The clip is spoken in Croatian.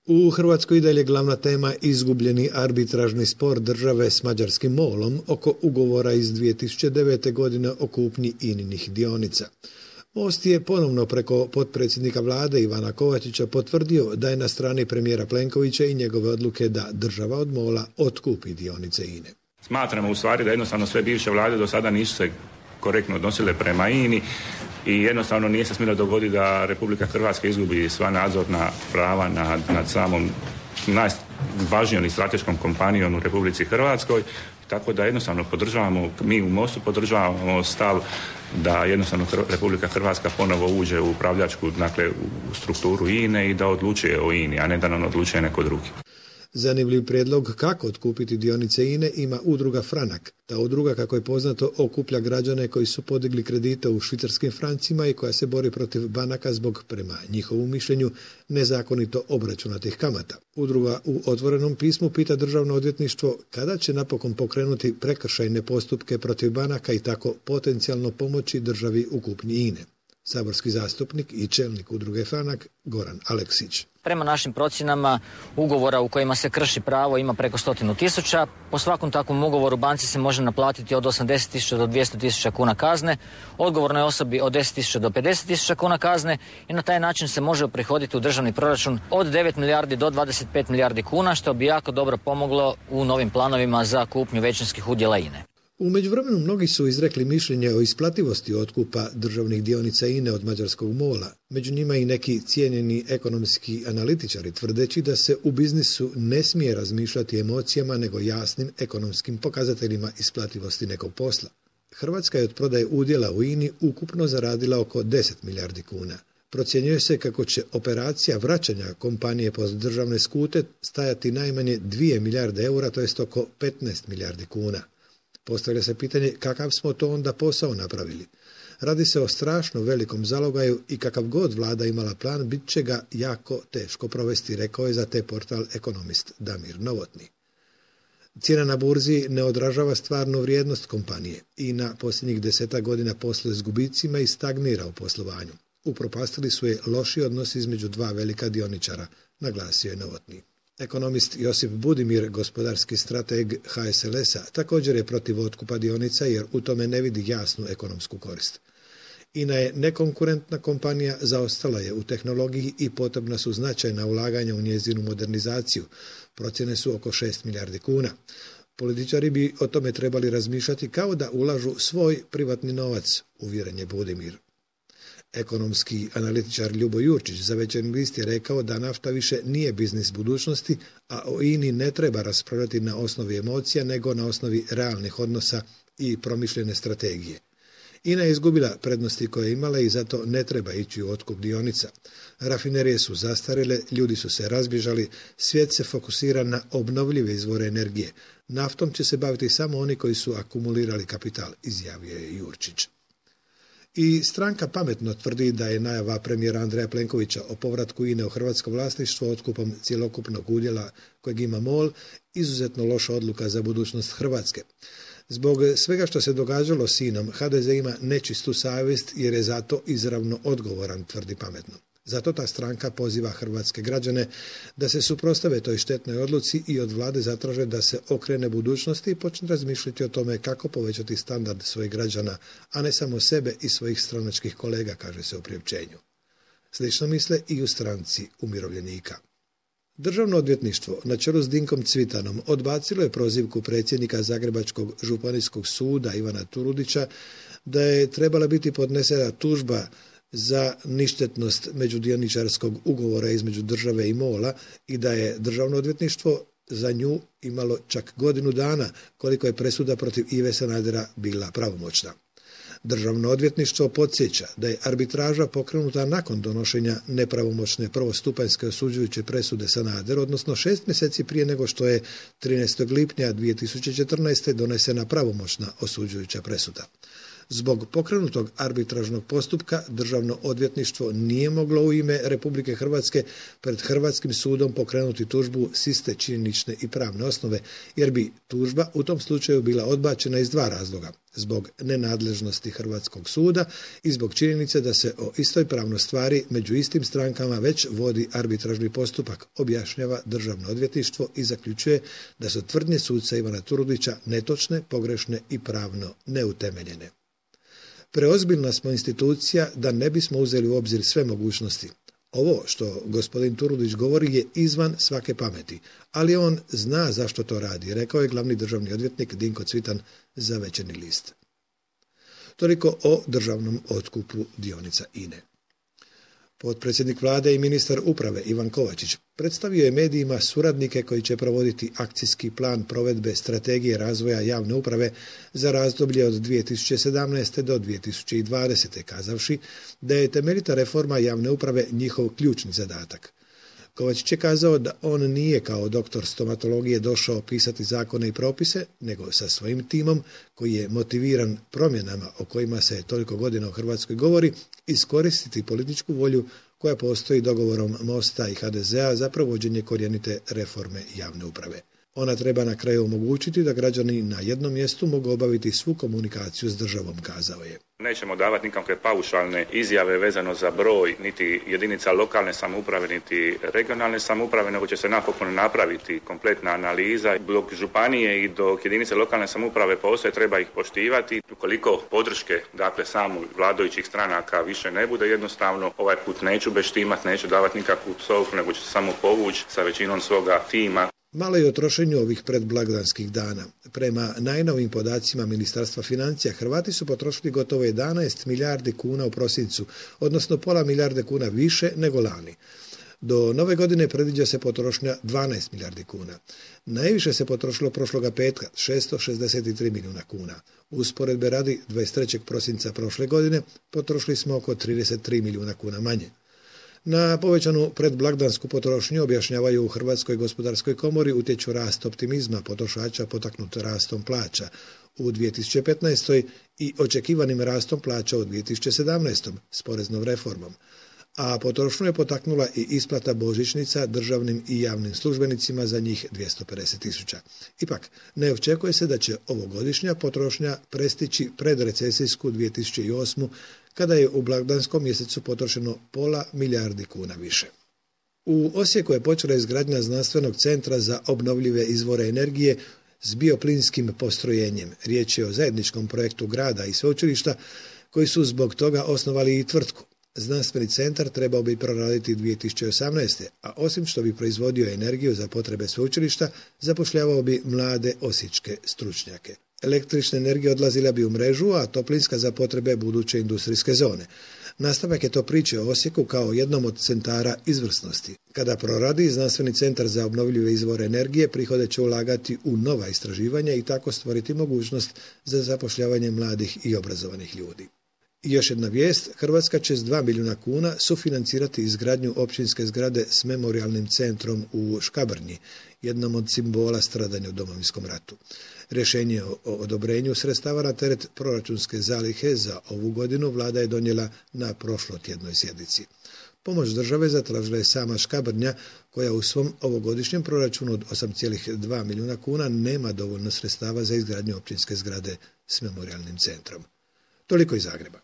U Hrvatskoj i dalje glavna tema izgubljeni arbitražni spor države s mađarskim MOL-om oko ugovora iz 2009. godine o kupnji INA-inih dionica. Most je ponovno preko potpredsjednika vlade Ivana Kovačića potvrdio da je na strani premijera Plenkovića i njegove odluke da država od MOL-a otkupi dionice INA-e. Smatramo u stvari da jednostavno sve bivše vlade do sada nisu se korektno odnosile prema INA-i i jednostavno nije se smjelo dogoditi da Republika Hrvatska izgubi sva nadzorna prava nad samom najvažnijom i strateškom kompanijom u Republici Hrvatskoj. Tako da jednostavno podržavamo, mi u Mostu podržavamo stav da jednostavno Republika Hrvatska ponovo uđe u upravljačku, dakle u strukturu INA-e i da odlučuje o INA-i, a ne da nam odlučuje neko drugi. Zanimljiv prijedlog kako otkupiti dionice INA-e ima udruga Franak. Ta udruga, kako je poznato, okuplja građane koji su podigli kredite u švicarskim francima i koja se bori protiv banaka zbog, prema njihovom mišljenju, nezakonito obračunatih kamata. Udruga u otvorenom pismu pita Državno odvjetništvo kada će napokon pokrenuti prekršajne postupke protiv banaka i tako potencijalno pomoći državi u kupnji INA-e. Saborski zastupnik i čelnik udruge Franak Goran Aleksić. Prema našim procjenama ugovora u kojima se krši pravo ima preko 100.000. Po svakom takvom ugovoru banci se može naplatiti od 80.000 do 200.000 kuna kazne, odgovornoj osobi od 10.000 do 50.000 kuna kazne i na taj način se može uprihoditi u državni proračun od 9 milijardi do 25 milijardi kuna, što bi jako dobro pomoglo u novim planovima za kupnju većinskih udjela INA-e. U međuvremenu mnogi su izrekli mišljenje o isplativosti otkupa državnih dionica INA-e od mađarskog MOL-a. Među njima i neki cijenjeni ekonomski analitičari tvrdeći da se u biznisu ne smije razmišljati emocijama nego jasnim ekonomskim pokazateljima isplativosti nekog posla. Hrvatska je od prodaje udjela u INA-i ukupno zaradila oko 10 milijardi kuna. Procjenjuje se kako će operacija vraćanja kompanije pod državne skute stajati najmanje 2 milijarde eura, to jest oko 15 milijardi kuna. Postavlja se pitanje kakav smo to onda posao napravili. Radi se o strašno velikom zalogaju i kakav god vlada imala plan, bit će ga jako teško provesti, rekao je za te portal ekonomist Damir Novotny. Cijena na burzi ne odražava stvarnu vrijednost kompanije i na posljednjih 10 godina posluje s gubicima i stagnira u poslovanju. Upropastili su je loši odnosi između dva velika dioničara, naglasio je Novotny. Ekonomist Josip Budimir, gospodarski strateg HSLS-a, također je protiv otkupa dionica jer u tome ne vidi jasnu ekonomsku korist. INA je nekonkurentna kompanija, zaostala je u tehnologiji i potrebna su značajna ulaganja u njezinu modernizaciju. Procjene su oko 6 milijardi kuna. Političari bi o tome trebali razmišljati kao da ulažu svoj privatni novac, uvjeren je Budimir. Ekonomski analitičar Ljubo Jurčić za Večernji list je rekao da nafta više nije biznis budućnosti, a o INA-i ne treba raspravljati na osnovi emocija, nego na osnovi realnih odnosa i promišljene strategije. INA je izgubila prednosti koje je imala i zato ne treba ići u otkup dionica. Rafinerije su zastarjele, ljudi su se razbježali, svijet se fokusira na obnovljive izvore energije. Naftom će se baviti samo oni koji su akumulirali kapital, izjavio je Jurčić. I stranka Pametno tvrdi da je najava premijera Andreja Plenkovića o povratku INA-e u hrvatsko vlasništvo otkupom cjelokupnog udjela kojeg ima MOL izuzetno loša odluka za budućnost Hrvatske. Zbog svega što se događalo s INA-om, HDZ ima nečistu savjest jer je zato izravno odgovoran, tvrdi Pametno. Zato ta stranka poziva hrvatske građane da se suprotstave toj štetnoj odluci i od vlade zatraže da se okrene budućnosti i počne razmišljati o tome kako povećati standard svojih građana, a ne samo sebe i svojih stranačkih kolega, kaže se u priopćenju. Slično misle i u stranci umirovljenika. Državno odvjetništvo na čelu s Dinkom Cvitanom odbacilo je prozivku predsjednika Zagrebačkog županijskog suda Ivana Turudića da je trebala biti podnesena tužba za ništetnost međudioničarskog ugovora između države i MOL-a i da je Državno odvjetništvo za nju imalo čak godinu dana koliko je presuda protiv Ive Sanadera bila pravomoćna. Državno odvjetništvo podsjeća da je arbitraža pokrenuta nakon donošenja nepravomoćne prvostupanjske osuđujuće presude Sanaderu, odnosno 6 mjeseci prije nego što je 13. lipnja 2014. donesena pravomoćna osuđujuća presuda. Zbog pokrenutog arbitražnog postupka Državno odvjetništvo nije moglo u ime Republike Hrvatske pred Hrvatskim sudom pokrenuti tužbu s iste činjenične i pravne osnove, jer bi tužba u tom slučaju bila odbačena iz dva razloga: zbog nenadležnosti Hrvatskog suda i zbog činjenice da se o istoj pravnoj stvari među istim strankama već vodi arbitražni postupak, objašnjava Državno odvjetništvo i zaključuje da su tvrdnje suca Ivana Turudića netočne, pogrešne i pravno neutemeljene. Preozbiljna smo institucija da ne bismo uzeli u obzir sve mogućnosti. Ovo što gospodin Turudić govori je izvan svake pameti, ali on zna zašto to radi, rekao je glavni državni odvjetnik Dinko Cvitan za Večernji list. Toliko o državnom otkupu dionica INA-e. Potpredsjednik vlade i ministar uprave Ivan Kovačić predstavio je medijima suradnike koji će provoditi akcijski plan provedbe strategije razvoja javne uprave za razdoblje od 2017. do 2020. kazavši da je temeljita reforma javne uprave njihov ključni zadatak. Kovačić je kazao da on nije kao doktor stomatologije došao pisati zakone i propise, nego sa svojim timom koji je motiviran promjenama o kojima se toliko godina u Hrvatskoj govori, iskoristiti političku volju koja postoji dogovorom Mosta i HDZ-a za provođenje korjenite reforme javne uprave. Ona treba na kraju omogućiti da građani na jednom mjestu mogu obaviti svu komunikaciju s državom, kazao je. Nećemo davati nikakve paušalne izjave vezano za broj niti jedinica lokalne samouprave niti regionalne samouprave, nego će se napokon napraviti kompletna analiza. Dok županije i dok jedinice lokalne samouprave postoje, treba ih poštivati. Ukoliko podrške, samo vladajućih stranaka više ne bude, jednostavno ovaj put neću beštimati, neću davati nikakvu psovku, nego ću se samo povući sa većinom svoga tima. Malo je o trošenju ovih predblagdanskih dana. Prema najnovim podacima Ministarstva financija, Hrvati su potrošili gotovo 11 milijardi kuna u prosincu, odnosno pola milijarde kuna više nego lani. Do nove godine predviđa se potrošnja 12 milijardi kuna. Najviše se potrošilo prošloga petka, 663 milijuna kuna. Usporedbe radi 23. prosinca prošle godine potrošili smo oko 33 milijuna kuna manje. Na povećanu predblagdansku potrošnju, objašnjavaju u Hrvatskoj gospodarskoj komori, utječu rast optimizma potrošača potaknut rastom plaća u 2015. i očekivanim rastom plaća u 2017. s poreznom reformom. A potrošnju je potaknula i isplata božićnica državnim i javnim službenicima, za njih 250.000. Ipak, ne očekuje se da će ovogodišnja potrošnja prestići predrecesijsku 2008. kada je u blagdanskom mjesecu potrošeno pola milijardi kuna više. U Osijeku je počela izgradnja znanstvenog centra za obnovljive izvore energije s bioplinskim postrojenjem. Riječ je o zajedničkom projektu grada i sveučilišta koji su zbog toga osnovali i tvrtku. Znanstveni centar trebao bi proraditi 2018. a osim što bi proizvodio energiju za potrebe sveučilišta, zapošljavao bi mlade osječke stručnjake. Električna energija odlazila bi u mrežu, a toplinska za potrebe buduće industrijske zone. Nastavak je to priče o Osijeku kao jednom od centara izvrsnosti. Kada proradi, Znanstveni centar za obnovljive izvore energije prihode će ulagati u nova istraživanja i tako stvoriti mogućnost za zapošljavanje mladih i obrazovanih ljudi. I još jedna vijest, Hrvatska će s 2 milijuna kuna sufinancirati izgradnju općinske zgrade s memorijalnim centrom u Škabrnji, jednom od simbola stradanja u Domovinskom ratu. Rješenje o odobrenju sredstava na teret proračunske zalihe za ovu godinu vlada je donijela na prošlotjednoj sjednici. Pomoć države zatražila je sama Škabrnja, koja u svom ovogodišnjem proračunu od 8,2 milijuna kuna nema dovoljno sredstava za izgradnju općinske zgrade s memorijalnim centrom. Toliko iz Zagreba.